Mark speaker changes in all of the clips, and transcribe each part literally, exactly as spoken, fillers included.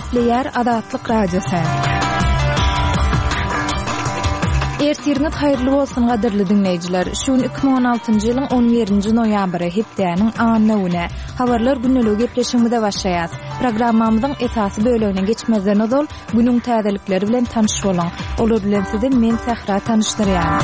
Speaker 1: Gepleýär Azatlyk Radiosy. Ertiriňiz haýyrly bolsun gadyrly diňleýjiler. Şu gün iki müň on altynjy ýylyň on birinji noýabry, hepdäniň anna güni. Habarlar gündeligi gepleşigimize başlaýas. Programmamyzyň esasy bölegine geçmezden ozal günüň täzelikleri bilen tanyş boluň. Olar bilen sizi men Sähra tanyşdyrýan.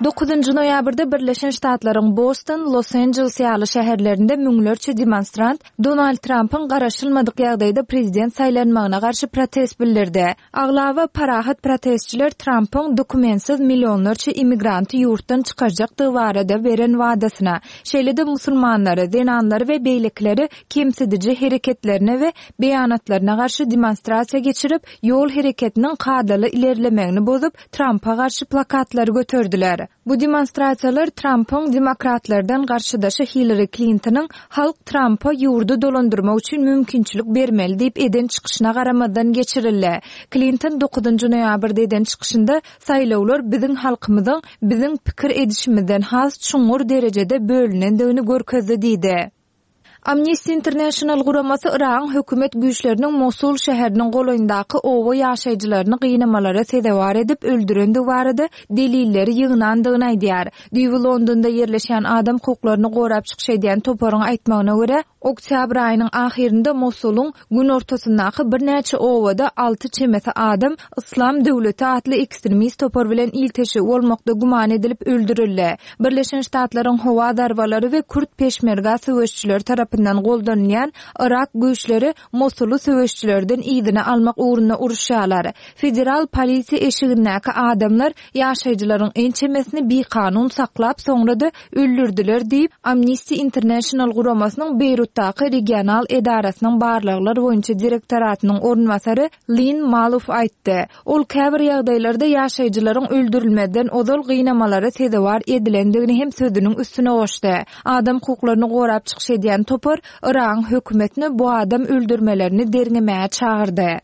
Speaker 1: Dokuzynjy noýabrda Birleşen Ştatlaryň Boston, Los-Anjeles ýaly şäherlerinde müňlerçe demonstrant Donald Trampyň garaşylmadyk ýagdaýda prezident saýlanmagyna garşy protest bildirdi. Aglaba parahat protestçiler Trampyň dokumentsiz millionlarça immigranty ýurtdan çykarjakdygy barada beren wadasyna, şeýle-de musulmanlary, zenanlary we beýlekileri kemsidiji hereketlerine we beýanatlaryna garşy demonstrasiýa geçirip, ýol hereketiniň kadaly ilerlemegini bozup, Trampa garşy plakatlary göterdiler. Bu demonstrasiýalar Trampyň demokratlardan garşydaşy Hillary Klintonyň halk Trampa ýurdy dolandyrmak üçin mümkinçilik bermeli diýip eden çykyşyna garamazdan geçirildi. Klinton dokuzynjy noýabrda eden çykyşynda saýlawlar biziň halkymyzyň biziň pikir edişimizden has çuňňur derejede bölünendigini görkezdi diýdi. Amnesty International guramasy Yragyň hökümet güýçleriniň Mosul şäheriniň golaýyndaky oba ýaşaýjylaryny gynamalara sezewar edip öldürendigi barada delilleri ýygnandygyny aýdýar. Düýbi Londonda ýerleşýän adam hukuklaryny gorap çykyş edýän toparyň aýtmagyna görä, oktýabr aýynyň ahyrynda Mosulyň günortasyndaky birnäçe obada alty çemesi adam Yslam döwleti atly ekstremist topar bilen ilteşigi bolmakda güman edilip öldürildi. Birleşen Ştatlaryň howa zarbalary we kürt peşmerga söweşçileri tarapyndan goldanylýan Yrak güýçleri Mosuly söweşçilerden yzyna almak ugrunda uruşýarlar. Federal polisiýa eşigindäki adamlar ýaşaýjylaryň ençemesini bikanun saklap, soňra-da öldürdiler diýip, Amnesty International guramasynyň Beýrutdaky regional edarasynyň barlaglar boýunça direktoratynyň orunbasary Lin Maluf aýtdy. Ol käbir ýagdaýlarda ýaşaýjylaryň öldürilmezden ozal gynamalara sezewar edilendigini hem sözüniň üstüne goşdy. Adam hukuklaryny gorap çykyş edýän topar Yragyň hökümetine bu adam öldürmelerini derňemäge çagyrdy.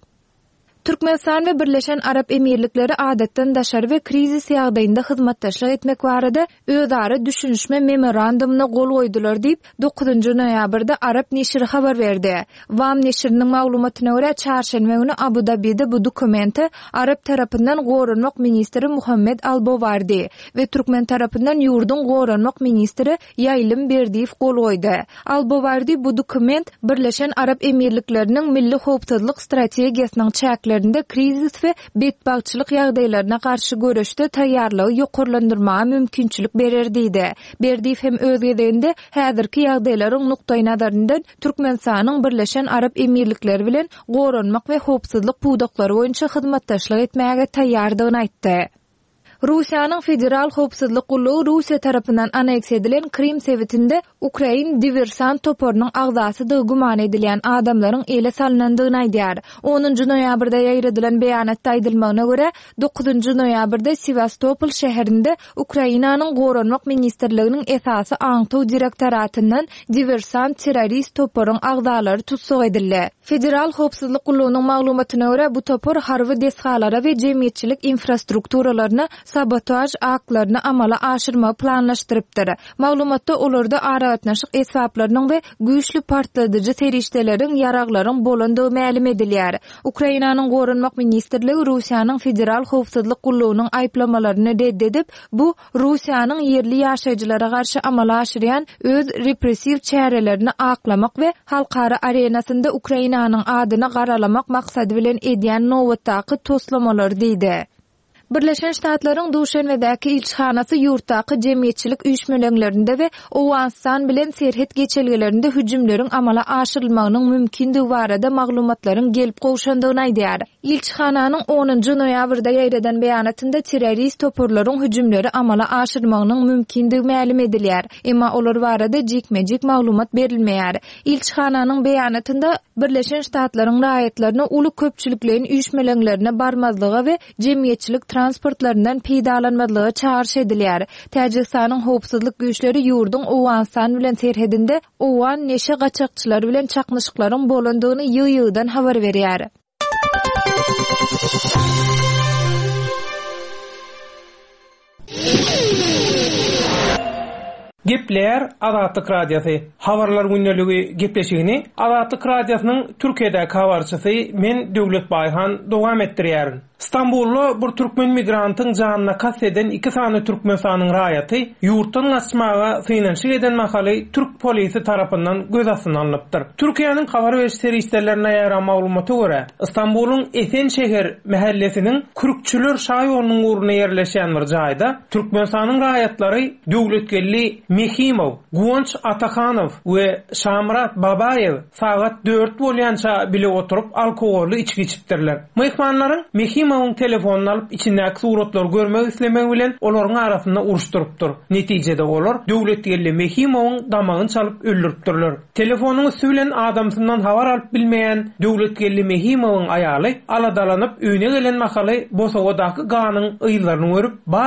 Speaker 1: Türkmenistan we Birleşen Arap Emirlikleri adatdan daşary we krizis ýagdaýynda hyzmatdaşlyk etmek barada özara düşünişme memorandumyna gol goýdular diýip, dokuzynjy noýabrda Arap neşiri habar berdi. WAM neşiriniň maglumatyna görä, çarşenbe güni Abu Dabide bu dokumente Arap tarapyndan goranmak ministri Muhammed Al-Bowardi we türkmen tarapyndan ýurduň goranmak ministri Ýaýlym Berdiýew gol goýdy. Al-Bowardi bu dokument Birleşen Arap Emirlikleriniň milli howpsuzlyk strategiýasynyň çäklerinde krizis we betbagtçylyk ýagdaýlaryna garşy göreşde taýýarlygy ýokarlandyrmaga mümkinçilik berer diýdi. Berdiýew hem öz gezeginde häzirki ýagdaýlaryň nukdaýnazaryndan Türkmenistanyň Birleşen Arap Emirlikleri bilen goranmak we howpsuzlyk pudaklary boýunça hyzmatdaşlyk etmäge taýýardygyny aýtdy. Russiýanyň Federal Howpsuzlyk Gullugy Russiýa tarapyndan anneksiýa edilen Krim sebitinde Ukrain diversant toparynyň agzasydygy güman edilýän adamlaryň ele salynandygyny aýdýar. Onunjy noýabrda ýaýradylan beýanatda aýdylmagyna görä, dokuzynjy noýabrda Sewastopol şäherinde Ukrainanyň Goranmak ministrliginiň esasy aňtaw direktoratyndan diversant terrorist toparyň agzalary tussag edildi. Federal Howpsuzlyk Gullugynyň maglumatyna görä, bu topar harby desgalara we jemgyýetçilik infrastrukturalaryna sabotaž aktlaryny amala aşyrmagy planlaşdyrypdyr. Maglumatda olarda aragatnaşyk esbaplarynyň we güýçli partladyjy serişdeleriň, ýaraglaryň bolandygy mälim edilýär. Ukrainanyň Goranmak ministrligi Russiýanyň Federal Howpsuzlyk Gullugynyň aýyplamalaryny red edip, bu Russiýanyň ýerli ýaşaýjylara garşy amala aşyrýan öz repressiw çärelerini aklamak we halkara arenasynda Ukrainanyň adyny garalamak maksady bilen edýän nobatdaky toslamalar diýdi. Birleşen Ştatlaryň Duşenbedäki ilçihanasy ýurtdaky jemgyýetçilik üýşmeleňlerinde we Owganystan bilen serhet geçelgelerinde hüjümleriň amala aşyrylmagynyň mümkindigi barada maglumatlaryň gelip gowşandygyny aýdýar. Ilçihananyň onunjy noýabrda ýaýradan beýanatynda terrorist toparlaryň hüjümleri amala aşyrmagynyň mümkindigi mälim edilýär. Emma olar barada jikme-jik maglumat berilmeýär. Ilçihananyň beýanatynda Birleşen Ştatlaryň raýatlaryna uly köpçülikleýin üýşmeleňlerine barmazlyga we jemgyýetçilik transportlaryndan peýdalanmazlyga çagyryş edilýär. Täjigistanyň howpsuzlyk güýçleri ýurduň Owganystan bilen serhedinde Owgan neşe gaçakçylary bilen çaknyşyklaryň bolandygyny ýygy-ýygydan habar berýär.
Speaker 2: Gepleýär Azatlyk Radiosy. Habarlar gündeligi gepleşigini Azatlyk Radiosynyň Türkiýedäki habarçysy men Döwlet Baýhan dowam etdirýärin. Stambulda bir türkmen migrantyň janyna kast eden iki sany Türkmenistanyň raýaty ýurtdan gaçmaga synanyşyk eden mahaly türk polisi tarapyndan göz astyna alnypdyr. Türkiýäniň habar beriş serişdelerine ýaran maglumata görä, Stambulyň Esen şäher mahallesiniň Kürkçüler şaýonunyň ugruna ýerleşen bir jaýda Türkmenistanyň raýatlary Döwletgeldi Mehimow, Guwanç Atahanow we Şamrat Babaýew sagat dört bolýança bile oturyp alkogolly içki içipdirler. Myhmanlaryň Mehimowyň telefonyny alyp içindäki suratlary görmek islemegi bilen olaryň arasynda uruşdyrypdyr. Netijede olar Döwletgeldi Mehimowyň damagyny çalyp öldüripdirler. Telefonyň üstü bilen adamsyndan habar alyp bilmeýän Döwletgeldi Mehimowyň aýaly aladalanyp öýüne gelen mahaly Bosowadaky ganyň yzlaryny görüp, bar